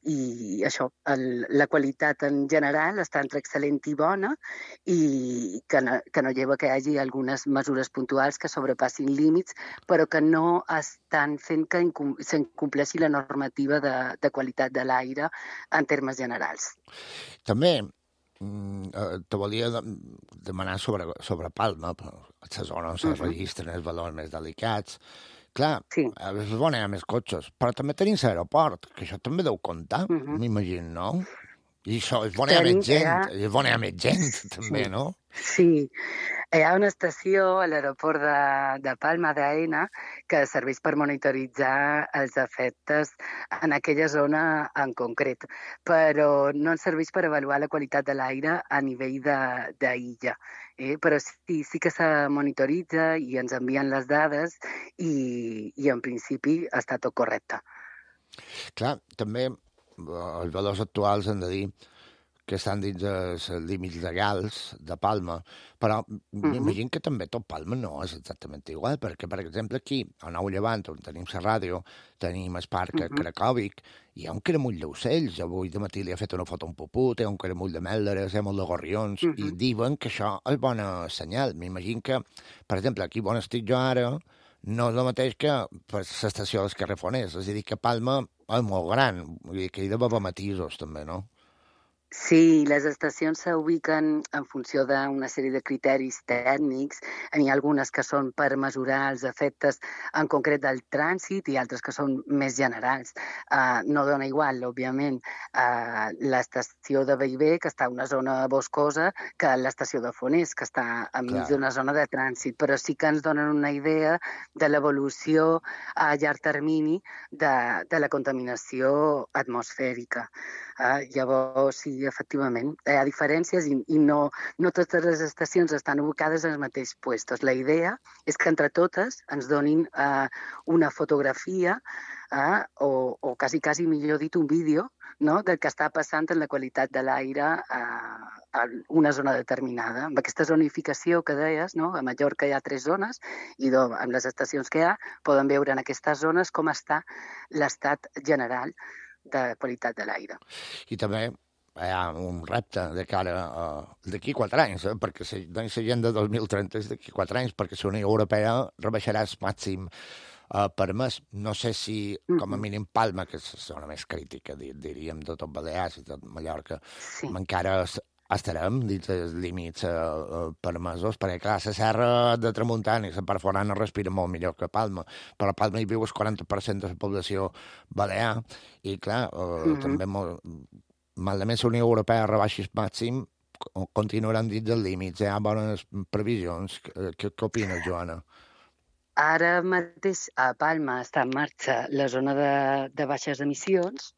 I això, la qualitat en general està entre excel·lent i bona i que no lleva que hi hagi algunes mesures puntuals que sobrepassin límits, però que no estan fent que s'incompleixi la normativa de qualitat de l'aire en termes generals. També te volia demanar sobre Palma, a la zona on se registren els valors més delicats. Clar, és bona hi ha més cotxes, però també tenim l'aeroport, que això també deu comptar, m'imagino, no? I això és bona més gent, és bona més gent, també, no? Sí, hi ha una estació a l'aeroport de Palma d'Aena que serveix per monitoritzar els efectes en aquella zona en concret, però no ens serveix per avaluar la qualitat de l'aire a nivell d'illa. Però sí que se monitoritza i ens envien les dades i en principi està tot correcte. Clar, també els valors actuals han de dir que estan dins els límits legals de Palma, però m'imagino que també tot Palma no és exactament igual, perquè, per exemple, aquí, a Nou Llevant, on tenim la ràdio, tenim el parc Cracòvic, hi ha un caramull d'ocells. Avui de matí li ha fet una foto a un puput, hi ha un caramull de mèlderes, hi ha molt de gorrions, i diuen que això és bona senyal. M'imagino que, per exemple, aquí on estic jo ara, no és el mateix que per l'estació dels Carrefoners, és a dir, que Palma és molt gran, vull dir que hi ha d'haver matisos també, no? Sí, les estacions s'ubiquen en funció d'una sèrie de criteris tècnics. N'hi ha algunes que són per mesurar els efectes en concret del trànsit i altres que són més generals. No dona igual, òbviament, l'estació de Bellver, que està en una zona boscosa, que l'estació de Fonés, que està enmig d'una zona de trànsit, però sí que ens donen una idea de l'evolució a llarg termini de la contaminació atmosfèrica. Llavors, sí, efectivament, hi ha diferències i no totes les estacions estan ubicades en els mateixos puestos. La idea és que entre totes ens donin una fotografia o quasi millor dit un vídeo, no?, del que està passant en la qualitat de l'aire a una zona determinada. Amb aquesta zonificació que deies, no?, a Mallorca hi ha 3 zones i amb les estacions que hi ha poden veure en aquestes zones com està l'estat general de qualitat de l'aire. I també hi ha un repte de cara d'aquí 4 anys, perquè l'agenda 2030 és d'aquí 4 anys, perquè la Unió Europea rebaixarà el màxim permès. No sé si, com a mínim, Palma, que és la zona més crítica, diríem, de tot Balears i tot Mallorca, encara estarem dins els límits permesos, perquè, clar, la serra de Tramuntana i la part forana respira molt millor que Palma, però a Palma hi viu el 40% de la població balear, i, clar, també malament la Unió Europea rebaixi el màxim, continuaran dins dels límits. Hi ha bones previsions. Què opines, Joana? Ara mateix a Palma està en marxa la zona de baixes emissions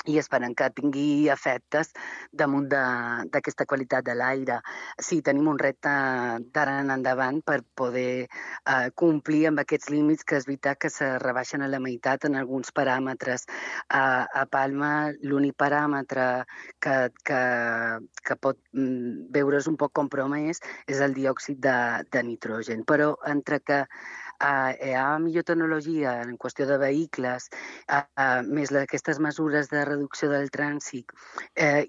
i esperem que tingui efectes damunt d'aquesta qualitat de l'aire. Sí, tenim un repte d'ara en endavant per poder complir amb aquests límits, que és veritat que se rebaixen a la meitat en alguns paràmetres. A Palma l'únic paràmetre que pot veure's un poc compromès és el diòxid de nitrogen, però entre que hi ha millor tecnologia en qüestió de vehicles, més aquestes mesures de reducció del trànsit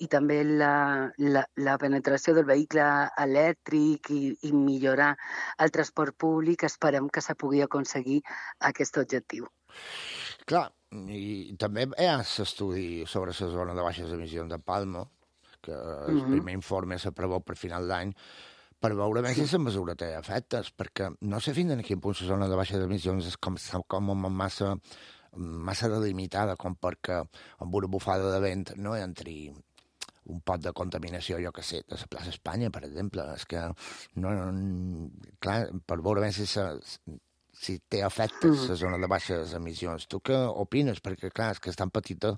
i també la penetració del vehicle elèctric i millorar el transport públic, esperem que se pugui aconseguir aquest objectiu. Clar, i també hi ha l'estudi sobre la zona de baixes emissions de Palma, que el primer informe se preveu per final d'any, per veure més si la mesura té efectes, perquè no sé fins a quin punt la zona de baixes emissions és com massa delimitada, com perquè amb una bufada de vent no entri un pot de contaminació, jo que sé, de la plaça Espanya, per exemple. És que, clar, per veure més si té efectes la zona de baixes emissions. Tu què opines? Perquè, clar, és que és tan petita,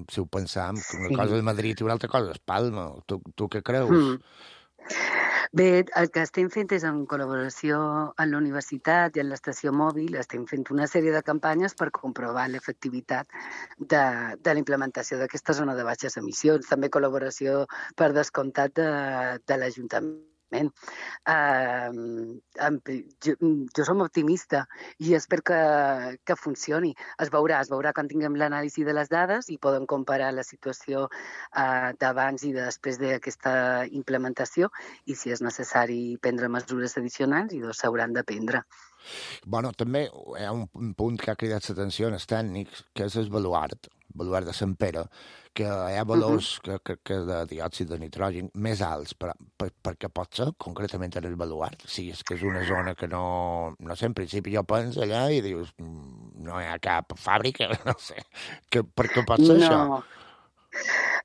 si ho pensam, una cosa és Madrid i una altra cosa és Palma. Tu què creus? Bé, el que estem fent és en col·laboració amb la universitat i amb l'estació mòbil, estem fent una sèrie de campanyes per comprovar l'efectivitat de la implementació d'aquesta zona de baixes emissions. També col·laboració, per descomptat, de l'Ajuntament. Jo som optimista i espero que funcioni. Es veurà quan tinguem l'anàlisi de les dades i podem comparar la situació d'abans i de després d'aquesta implementació i si és necessari prendre mesures addicionals i s'hauran de prendre. Bueno, també hi ha un punt que ha cridat l'atenció en els tècnics, que és el baluart de Sant Pere, que hi ha valors que de diòxid de nitrogen més alts, perquè pot ser concretament en el baluart. Sí, és que és una zona que no sé, en principi jo penso allà i dius, no hi ha cap fàbrica, no sé, per què pot ser això?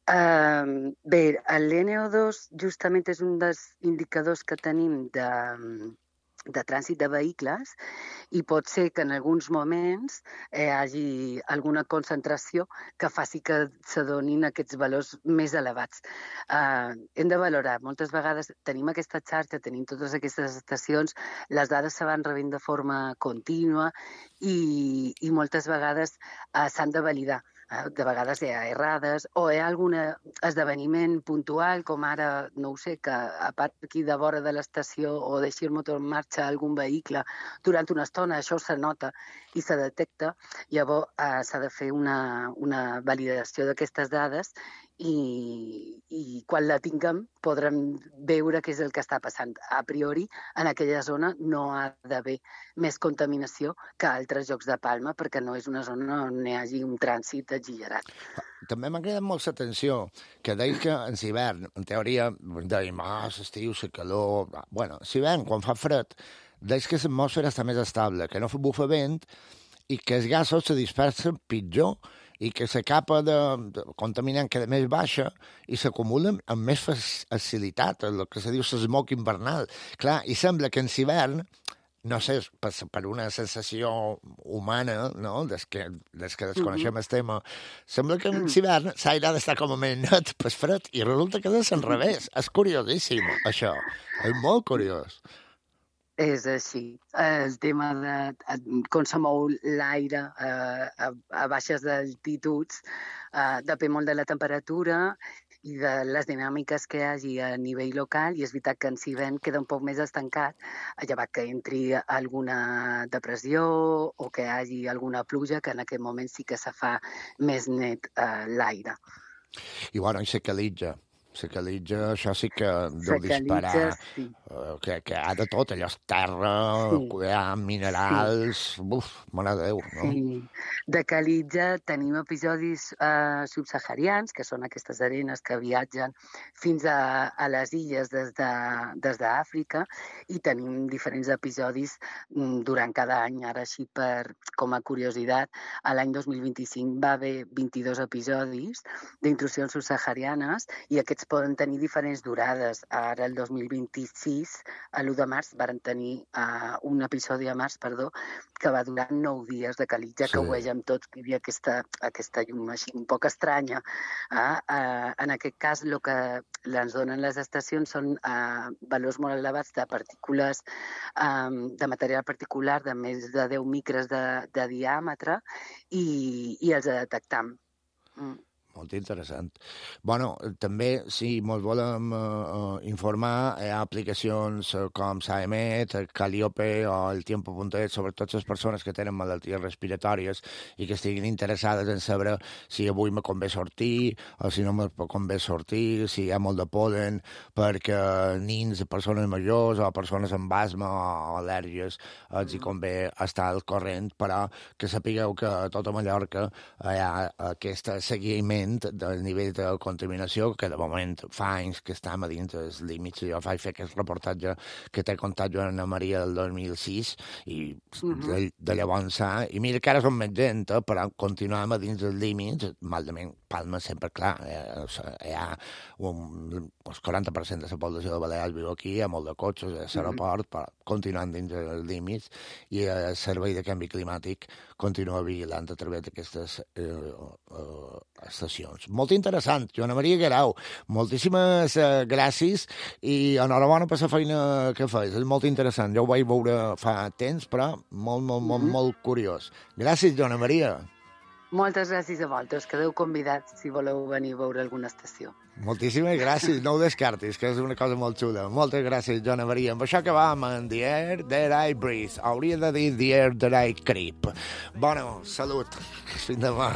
Bé, l'NO2 justament és un dels indicadors que tenim de trànsit de vehicles i pot ser que en alguns moments hi hagi alguna concentració que faci que s'adonin aquests valors més elevats. Hem de valorar, moltes vegades tenim aquesta xarxa, tenim totes aquestes estacions, les dades se van rebent de forma contínua i moltes vegades s'han de validar. De vegades hi ha errades o hi ha algun esdeveniment puntual, com ara, no ho sé, que a part aquí de vora de l'estació o deixi el motor en marxa algun vehicle durant una estona, això se nota i se detecta. Llavors s'ha de fer una validació d'aquestes dades i quan la tinguem podrem veure què és el que està passant. A priori, en aquella zona no ha d'haver més contaminació que altres llocs de Palma, perquè no és una zona on hi hagi un trànsit exagerat. També m'ha cridat molt l'atenció que deia que en l'hivern, en teoria, dèiem, l'estiu, la calor... Bueno, l'hivern, quan fa fred, deia que l'atmosfera està més estable, que no bufa vent i que els gasos se dispersen pitjor i que la capa de contaminant queda més baixa i s'acumulen amb més facilitat, el que se diu l'esmoc invernal. Clar, i sembla que en l'hivern, no sé, per una sensació humana, no?, des que desconeixem el tema, sembla que en l'hivern l'aire ha d'estar com a més net per fred i resulta que és al revés. És curiosíssim, això. És molt curiós. És així. El tema de com se mou l'aire a baixes altituds depèn molt de la temperatura i de les dinàmiques que hi hagi a nivell local, i és veritat que en l'hivern queda un poc més estancat, llevat que entri alguna depressió o que hi hagi alguna pluja, que en aquest moment sí que se fa més net l'aire. I bueno, i s'equilibra. S'equilibra, això sí que deu disparar, sí. Que ha de tot, allò és terra, hi ha minerals, mare de Déu, no? Sí, de Calitja tenim episodis subsaharians, que són aquestes arenes que viatgen fins a les illes des d'Àfrica, i tenim diferents episodis durant cada any. Ara, així com a curiositat, l'any 2025 va haver 22 episodis d'intrusions subsaharianes, i aquests poden tenir diferents durades. Ara, el 2026, a l'1 de març, varen tenir un episodi a març, que va durar 9 dies de Calitja, que ho vegem tots, que hi havia aquesta llum així un poc estranya. En aquest cas, el que ens donen les estacions són valors molt elevats de partícules, de material particular de més de 10 micres de diàmetre, i els detectam. Molt interessant. Bueno, també, si ens volem informar, hi ha aplicacions com Saemet, Calliope o el Tiempo.es, sobretot les persones que tenen malalties respiratòries i que estiguin interessades en saber si avui me convé sortir o si no me convé sortir, si hi ha molt de pol·len, perquè nins, persones majors o persones amb asma o al·lèrgies els hi convé estar al corrent, però que sapigueu que a tota Mallorca hi ha aquest seguiment del nivell de contaminació, que de moment fa anys que estem a dins dels límits. Jo vaig fer aquest reportatge que t'he contat jo a Ana Maria del 2006 i de llavors i mira que ara som més gent, però continuem a dins dels límits. Malament, Palma sempre, clar, hi ha el 40% de la població de Balears viu aquí, hi ha molt de cotxes, a l'aeroport, però continuem dins dels límits, i el servei de canvi climàtic continua vigilant a través d'aquestes estacions. Molt interessant, Joana Maria Guerau. Moltíssimes gràcies i enhorabona per la feina que fas. És molt interessant. Jo ho vaig veure fa temps, però molt curiós. Gràcies, Joana Maria. Moltes gràcies a vosaltres. Quedeu convidats si voleu venir a veure alguna estació. Moltíssimes gràcies. No ho descartis, que és una cosa molt xula. Moltes gràcies, Joana Maria. Amb això acabam en The Air That I Breathe. Hauria de dir The Air That I Creep. Bueno, salut. Fins demà.